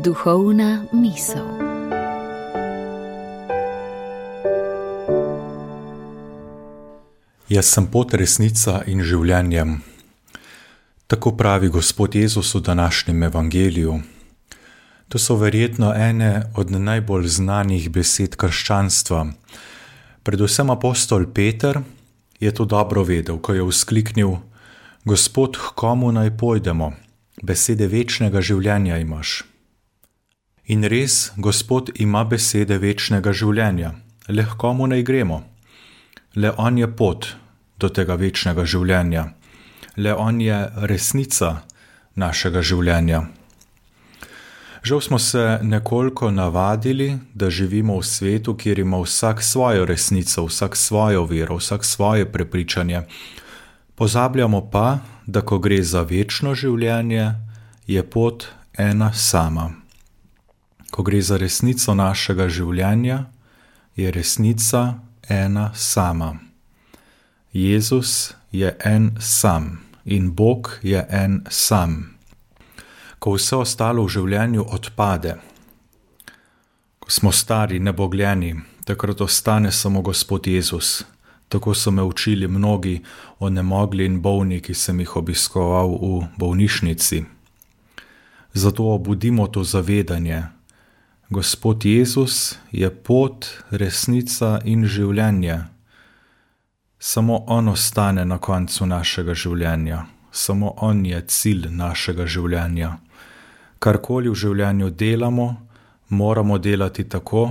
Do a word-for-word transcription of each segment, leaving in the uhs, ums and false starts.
Duhovna misel. Jaz sem pot, resnica in življenje. Tako pravi Gospod Jezus v današnjem evangeliju. To so verjetno ene od najbolj znanih besed krščanstva. Predvsem apostol Peter je to dobro vedel, ko je vzkliknil: Gospod, k komu naj pojdemo? Besede večnega življenja imaš. In res, Gospod ima besede večnega življenja. Le k komu naj gremo? Le on je pot do tega večnega življenja. Le on je resnica našega življenja. Žal smo se nekoliko navadili, da živimo v svetu, kjer ima vsak svojo resnico, vsak svojo vero, vsak svoje prepričanje. Pozabljamo pa, da ko gre za večno življenje, je pot ena sama. Ko gre za resnico našega življenja, je resnica ena sama. Jezus je en sam in Bog je en sam. Ko vse ostalo v življenju odpade, ko smo stari, nebogljeni, takrat ostane samo Gospod Jezus. Tako so me učili mnogi onemogli in bolni, ki sem jih obiskoval v bolnišnici. Zato obudimo to zavedanje. Gospod Jezus je pot, resnica in življenje. Samo on ostane na koncu našega življenja. Samo on je cilj našega življenja. Karkoli v življenju delamo, moramo delati tako,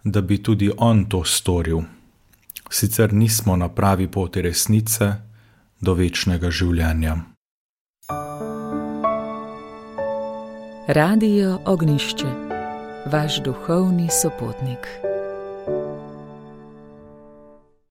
da bi tudi on to storil. Sicer nismo na pravi poti resnice do večnega življenja. Radio Ognjišče, vaš duhovni sopotnik.